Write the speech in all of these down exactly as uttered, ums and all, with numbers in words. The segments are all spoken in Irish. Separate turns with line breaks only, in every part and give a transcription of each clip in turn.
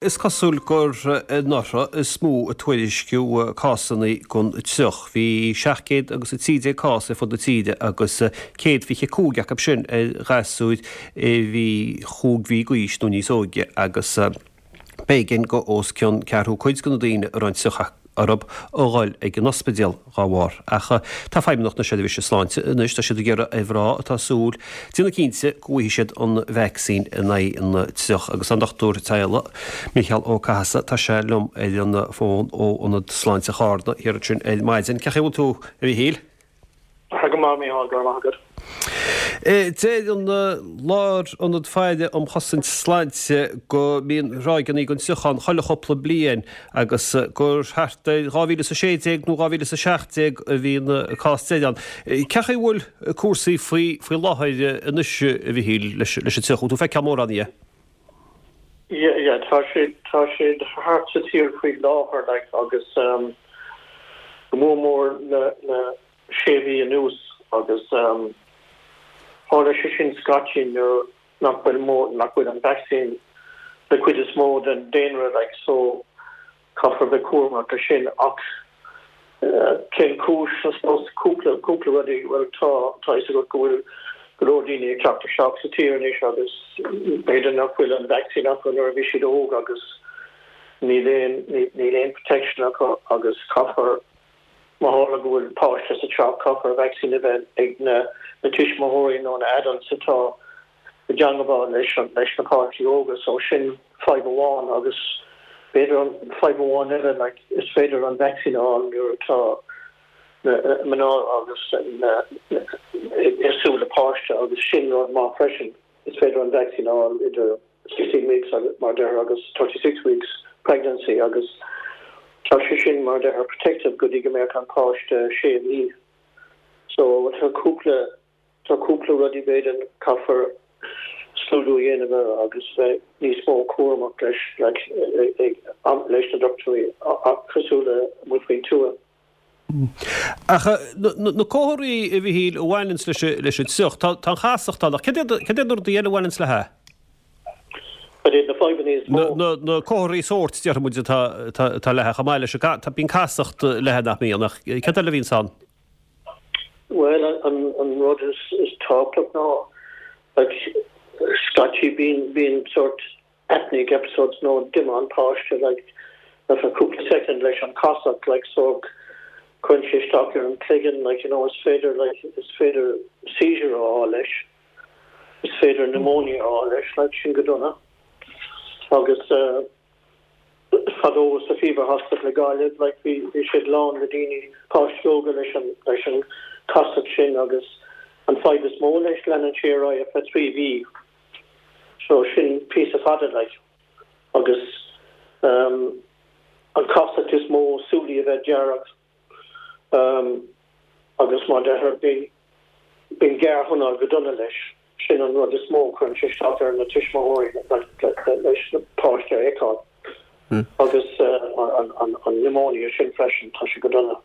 Is cosúil gur anuraidh is mó a tuairisciú cásanna den triuch. Bhí seacht gcéad agus a trí déag cás ar fud na tíre agus céad fiche cúig acu sin ar ghasúir a bhí chúig mhí d'aois nó níos óige agus b'éigean go os cionn ceathrú cuid de na daoine a raibh an triuch orthu a dhul ag an ospidéal dá bharr. Ach tá Feidhmeannacht na Seirbhíse Sláinte anois, tá siad ag iarraidh ar mhná atá ag súil déanamh cinnte go bhfaighidh siad an vacsaín in aghaidh an triuch. Agus an Dochtúir Teaghlaigh, Mícheál Ó Cathasaigh, tá sé liom ar an bhfón ó Ionad Sláinte Charna thiar ansin ar maidin. Cén chaoi a bhfuil tú, a Mhíchíl?
Tá go maith, Mícheál, go raibh maith agat.
Deir an Lárionad Faire um Chosaint Sláinte go mbíonn ráigeanna den triuch ann chuile chúpla bliain agus gur thart ar dhá mhíle is a sé déag nó dhá mhíle is a seacht déag a bhí an cás deiridh ann. Cén chaoi a bhfuil cúrsaí faoi faoi láthair anois, a Mhichíl, leis an triuch? Bhfuil tú ag feiceáil mórán dhe?
Yeah, yeah, tá sé tá sé thart sa tír faoi láthair like agus um, go mór mór le le sé mhí anuas agus um, tharla sé sin scaití nuair nach bhfuil mó nach bhfuil an vaccine le cuid is mó den daonra like so caithfear bheith cúramach leis sin ach uh, cén cúis I suppose cúpla cúpla rudaí well tá tá fhios agat go bhfuil go leor daoine ag teacht isteach sa tír anois agus b'fhéidir nach bhfuil an vaccine acu nuair a bhí siad óg agus níl aon níl aon protection acu agus caithfear má tharla go bhfuil páiste sa teach caithfear vaccine a bheith ag na na tuismitheoirí nó na adults atá i dteagmháil leis an leis na páistí óga so sin fadhb amháin agus b'fhéidir an fadhb amháin eile like is féidir an vaccine a fháil nuair atá na mná agus na ag súil le páiste agus sin rud maith freisin is féidir an vaccine a fháil idir sixteen weeks agus mar deir agus thirty six weeks pregnancy agus tá sé sin mar deir protective go dtí go mbeadh an páiste sé mhí. So tá cúpla tá cúpla rudaí b'fhéidir caithfear scrúdú a dhéanamh air agus bheith níos mó cúramach leis like ag leis na dochtúirí cosúil le amuigh faoin tuath.
Ach na comharthaí a Mhichíl a bhaineanns leis leis an triuch, tá an chasacht ann ach cad iad na rudaí eile a bhaineanns léi?
Cad iad na fadhbanna is mó?
Na na comharthaí sóirt déarfaidh muid atá atá léi chomh maith leis an tá bíonn casacht léi nach mbíonn ach cad eile a bhíonns ann?
Well an an rud is is tábhachtach ná like scaití bíonn bíonn sort apneic episodes nó díomá an páiste like ar feadh cúpla second leis an casacht like so cuireann sé isteach ar an cloigeann like you know is féidir like is féidir seizure a fháil leis is féidir pneumonia a fháil leis like sin go dona agus uh, fadó sa Fever Hospital i Gaillimh like bhí bhí siad lán le daoine páistí óga leis an leis an casacht sin agus an fadhb is mó leis leanann sé ar aghaidh ar feadh trí mhí so sin píosa fada like agus um, an casacht is mó súilí a bheith dearg um, agus mar deir bíonn bíonn géarthunáil go dona leis sin an rud is mó cuireann sé isteach ar na tuismitheoirí leis na páiste a fheiceáil agus uh, an, an, an pneumonia sin freisin tá sé go dona.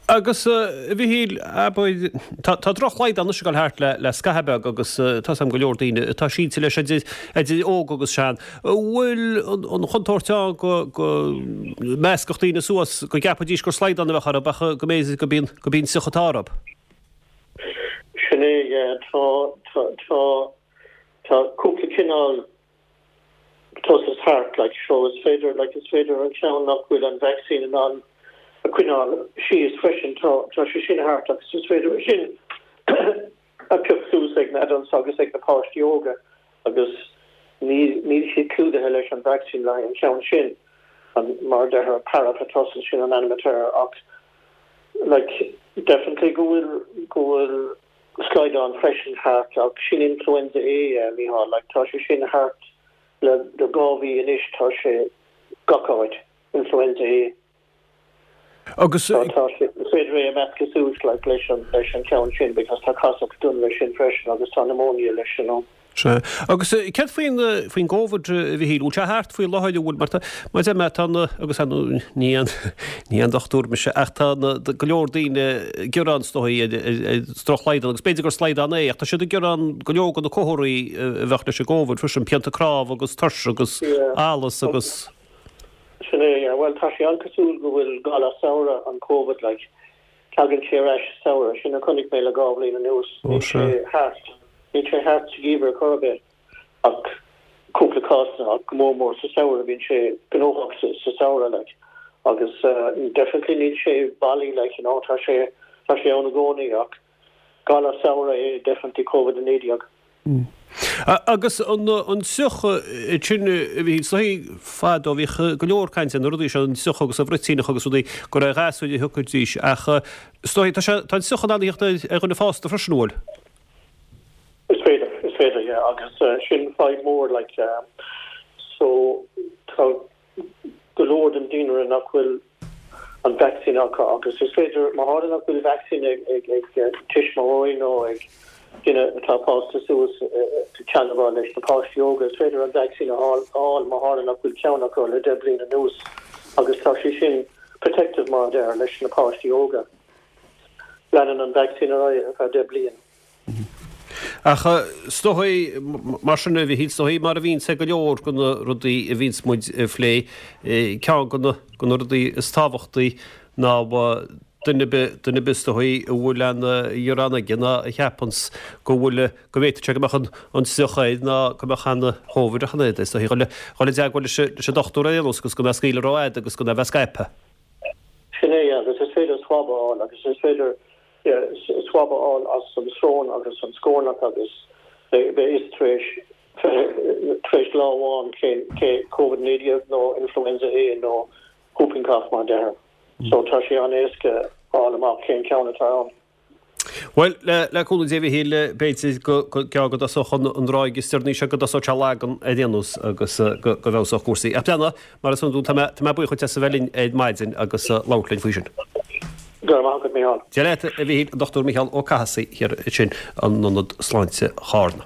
Agus a Mhichíl abair tá tá drochshlaghdán anois ag dul thart le le scaitheamh beag agus tá 's agam go leor daoine atá sínte leis idir idir óg agus sean. Bhfuil an chontúirt ann go go meascfadh daoine suas go gceapfaidís gur slaghdán a bheadh orthu ach go mb'fhéidir go bíonn go bíonn triuch atá orthu.
Sin é tá tá tá tá cúpla cineál pertussis thart like so is féidir like is féidir an ceann nach bhfuil an vaccine in ann a choinneáil síos freisin tá tá sé sin thart agus is féidir sin a phiocadh suas ag na adults agus ag na páistí óga agus ní níl siad clúdaithe leis an vaccine le an ceann sin an mar deir parapertussis sin an ainm atá air ach like definitely go bhfuil go bhfuil slaghdán freisin thart ach sin influenza A uh, Mícheál like tá sé sin thart le le dhá mhí anois tá sé gach áit influenza A.
Agus
Tá tá sé is féidir é a mheascadh suas like leis an leis an ceann sin because tá casacht dona leis sin freisin agus tá pneumonia leis you know.
Sea. Agus céard faoin faoin gCovid, a Mhichíl? Bhfuil sé thart faoi láthair, an bhfuil? Mar tá, mar a deir mé, tá na, agus ar ndóigh ní aon, ní aon dochtúir mise ach tá na, go leor daoine ag gearán is dóigh ar, ar, ar drochshlaghdán agus b'fhéidir gur slaghdán é ach tá siad ag gearán go leor de na comharthaí a bheadh leis an gCovid freisin, pianta cnámh agus tuirse agus allas agus.
Sin é, yeah. Bhuel, tá sé an-cosúil go bhfuil galar samhraidh an Covid, like, tagann sé ar ais sa samhradh, sin a chonaic mé le dhá bhliain anuas. Níl sé thart. Níl sé thart sa gheimhreadh ar chor ar bith ach cúpla cásanna ach go mór mór sa samhradh bíonn sé gnóthach sa sa samhradh like agus definitely níl sé bailí like you know tá sé tá sé ann i gcónaí ach galar samhraidh é definitely Covid a naoi déag.
Agus an an triuch sin a bhí is dóigh fadó bhíodh go leor cainte ar na rudaí seo an triuch agus an bhruitíneach agus rudaí gur ar ghasúir a thiocfaidís ach is dóigh tá sé tá an triuch in ann a theacht ar dhuine fásta freisin an bhfuil?
Is féidir, is féidir, yeah, agus sin fadhb mór, like, so tá go leor den daonra nach bhfuil an vacsaín acu agus is féidir, má tharla nach bhfuil vacsaín ag, ag, ag tuismitheoirí nó ag duine atá fásta suas ag teagmháil leis na páistí óga, is féidir an vacsaín a fháil má tharla nach bhfuil ceann acu le deich bliain anuas agus tá sé sin protective mar a deir leis na páistí óga. Leanann an vacsaín ar aghaidh ar feadh deich bliain.
Ach is dóigh, mar sin a Mhichíl, is dóigh mar a bhíonns ag go leor de na rudaí a bhíonns muid a phlé, ceann de na rudaí is tábhachtaí ná duine ar bith, duine ar bith is dóigh a bhfuil aon ghearán aige ná a cheapanns go bhfuil, go bhféadfadh sé go mbeadh an triuch air ná go mbeadh an Covid ach an oiread, is dóigh, dhul i dteagmháil leis an dochtúir ar aon nós agus gan é a scaoileadh rófhada agus gan é a bheith scaipthe.
Sin é, agus is féidir swab a fháil agus is féidir swab a fháil as an srón agus an scornach agus beidh fhios tar éis tar éis lá amháin cén cé Covid naoi déag nó influenza A nó whooping cough mar a deirtear. So tá sé an-éasca fháil amach cén ceann atá ann.
Bhuel, le cúnamh Dé a Mhichíl, b'fhéidir go gearr go dtosódh an ráig is deireanaí seo, go dtosódh sé lagan ar aon nós agus go bhfeabhsódh cúrsaí. Ach breathnaigh, mar is iondúil, tá mé buíoch duit as a bheith linn ar maidin agus labhairt linn faoi sin.
Go raibh maith agat, Mícheál.
Dia leat, a Mhichíl, an Dochtúir Mícheál Ó Cathasaigh thiar ansin in Ionad Sláinte Charna.